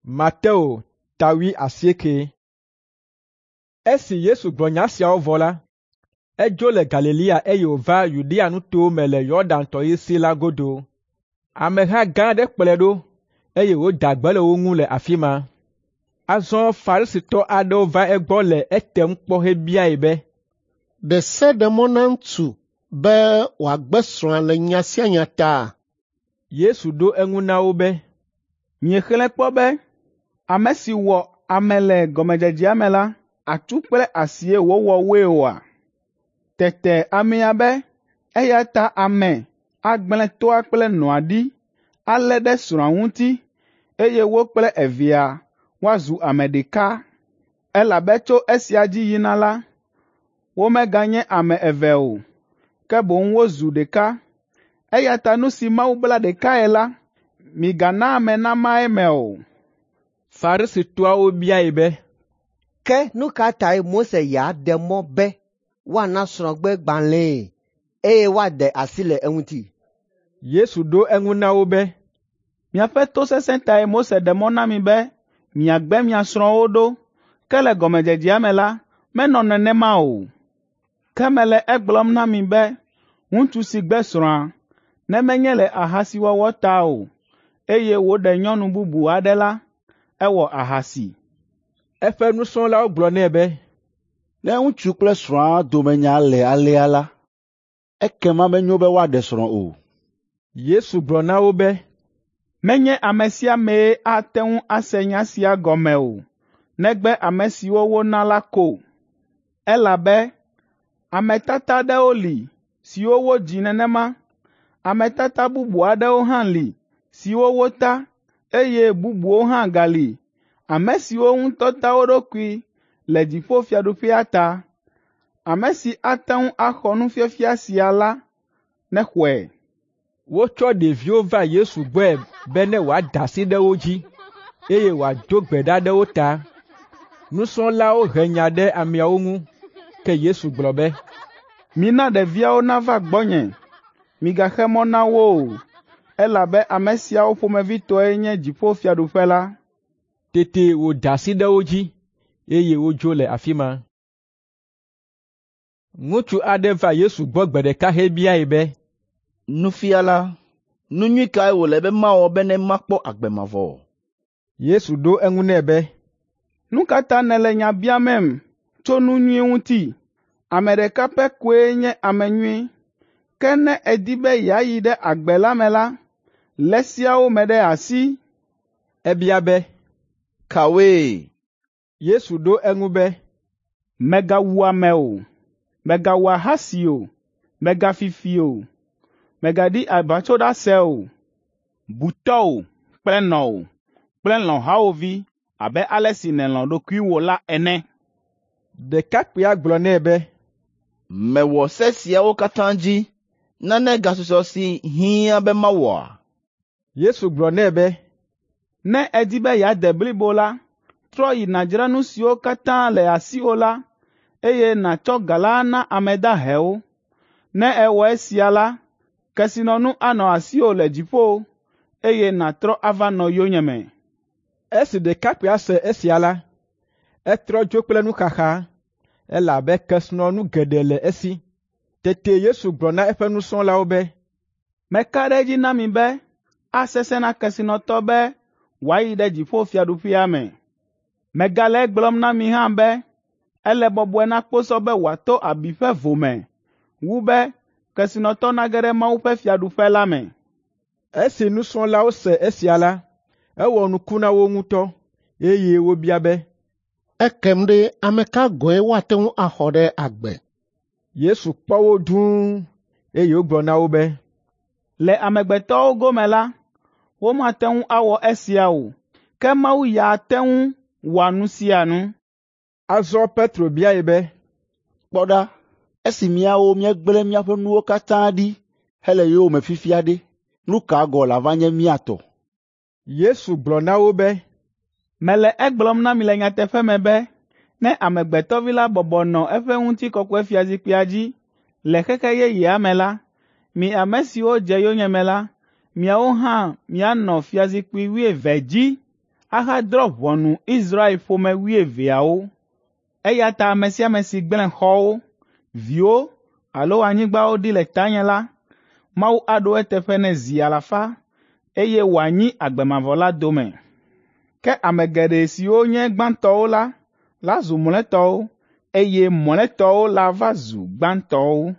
Mateo ta 18. Esi Yesu gblɔ nya siawo vɔ la, edzo le Galilea eye wòva Yudea nutowo me le Yɔdan tɔsisi la godo. Ameha gã aɖe kplɔe ɖo, eye wòda gbe le wo ŋu le afi ma. Azɔ Farisitɔ aɖewo va egbɔ le etem kpɔ hebiae be, “Ɖe se ɖe mɔ na ŋutsu be wòagbe srɔ̃a le nya sia nya ta?” Yesu ɖo eŋu na wo be, “Miexlẽe kpɔ be ame si wɔ ame le gɔmedzedzea me la, atsu kple asie wòwɔ woe oa? Tete amea be eya ta ame agblẽ toa kple nɔa ɖi alé ɖe srɔ̃a ŋuti, eye wo kple evea woazu ame ɖeka. Elabe tso esia dzi yina la, womeganye ame eve o, ke boŋ wozu ɖeka. Eya ta nu si Mawu bla ɖekae la, migana ame nama eme o.” Farisitɔawo biae be, “Ke nu ka tae Mose ya ɖe mɔ be woana srɔ̃gbegbalẽe eye woaɖe asi le eŋuti?” Yesu ɖo eŋu na wo be, “Miaƒe tosesẽ tae Mose ɖe mɔ na mi be miagbe mia srɔ̃wo ɖo, ke le gɔmedzedzea me la, menɔ nenema o. Ke mele egblɔm na mi be ŋutsu si gbe srɔ̃a, ne menye le ahasiwɔwɔ ta o, eye wòɖe nyɔnu bubu aɖe la, ewɔ ahasi.” Eƒe nusrɔ̃lawo gblɔ nɛ be, “Ne ŋutsu kple srɔ̃a dome nya le alea la, ekema menyo be woaɖe srɔ̃ o.” Yesu gblɔ na wo be, “Menye ame sia amee ate ŋu ase nya sia gɔme o, negbe ame siwo wona la ko. Elabe ame tata aɖewo li siwo wodzi nenema, ame tata bubu aɖewo hã li siwo wota, eye bubuwo hã gali, ame siwo ŋutɔ ta wo ɖokui le dziƒofiaɖuƒea ta. Ame si ate ŋu axɔ nufiafia sia la, nexɔe.” Wotsɔ ɖeviwo va Yesu gbɔe be ne wòada asi ɖe wo dzi, eye wòado gbe ɖa ɖe wo ta. Nusrɔ̃lawo he nya ɖe ameawo ŋu, ke Yesu gblɔ be, “Mina ɖeviawo nava gbɔnye, migaxe mɔ na wo o, elabe ame siawo ƒomevi tɔe nye dziƒofiaɖuƒe la.” Tete wòda asi ɖe wo dzi, eye wodzo le afi ma. Ŋutsu aɖe va Yesu gbɔ gbe ɖeka hebiae be, “Nufiala, nu nyui kae wòle be mawɔ bene makpɔ agbe mavɔ?” Yesu ɖo eŋu nɛ be, “Nu ka ta nèle nya biamem tso nu nyui ŋuti? Ame ɖeka pɛ koe nye ame nyui. Ke ne èdi be yeayi ɖe agbe la me la, lé seawo me ɖe asi.” Ebia be, “Kawoe?” Yesu ɖo eŋu be, “Mègawu ame o, mègawɔ ahasi o, mègafi fi o, mègaɖi aʋatsoɖase o, bu tɔ́wò kple nɔwò kple lɔ̃ hawòvi abe ale si nèlɔ̃ ɖokuiwò la ene.” Ɖekakpuia gblɔ nɛ be, “Mewɔ se siawo katã dzi, nane gasusɔ si hiã be mawɔa?” Yesu gblɔ nɛ be, “Ne èdi be yeade blibo la, trɔ yi nàdzra nu siwo katã le asiwò la, eye nàtsɔ ga la na ame dahewo. Ne èwɔ esia la, kesinɔnu anɔ asiwò le dziƒo, eye nàtrɔ ava nɔ yonyeme.” Esi ɖekakpuia se esia la, etrɔ dzo kple nuxaxa, elabe kesinɔnu geɖe le esi. Tete Yesu gblɔ na eƒe nusrɔ̃lawo be, “Meka ɖe edzi na mi be asesẽ na kesinɔtɔ be wòayi ɖe dziƒofiaɖuƒea me. Megale egblɔm na mi hã be ele bɔbɔe na kposɔ be wòato abi ƒe vo me wu be kesinɔtɔ nage ɖe Mawu ƒe fiaɖuƒe la me.” Esi nusrɔ̃lawo se esia la, ewɔ nuku na wo ŋutɔ, eye wobia be, “Ekem ɖe, ame ka gɔ̃e woate ŋu axɔ ɖe agbe?” Yesu kpɔ wo dũu, eye wògblɔ na wo be, “Le amegbetɔwo gome la, womate ŋu awɔ esia o, ke Mawu ya te ŋu wɔa nu sia nu.” Azɔ Petro biae be, “Kpɔ ɖa, esi míawo míegblẽ míaƒe nuwo katã ɖi hele yowòme fifia ɖe, nu ka gɔ̃ lava nye mía tɔ?” Yesu gblɔ na wo be, “Mele egblɔm na mi le nyateƒe me be ne Amegbetɔ Vi la bɔbɔ nɔ eƒe ŋutikɔkɔefiazikpuia dzi le xexe yeyea me la, mi ame siwo dze yonyeme la, miawo hã mianɔ fiazikpui wuieve dzi ahadrɔ̃ ʋɔnu Israel ƒome wuieveawo. Eya ta ame sia ame si gblẽ xɔwo, viwo alo anyigbawo ɖi le tanye la, Mawu aɖo eteƒe nɛ zi alafa, eye wòanyi agbe mavɔ la dome. Ke ame geɖe siwo nye gbãtɔwo la, lazu mlɔetɔwo, eye mlɔetɔwo lava zu gbãtɔwo.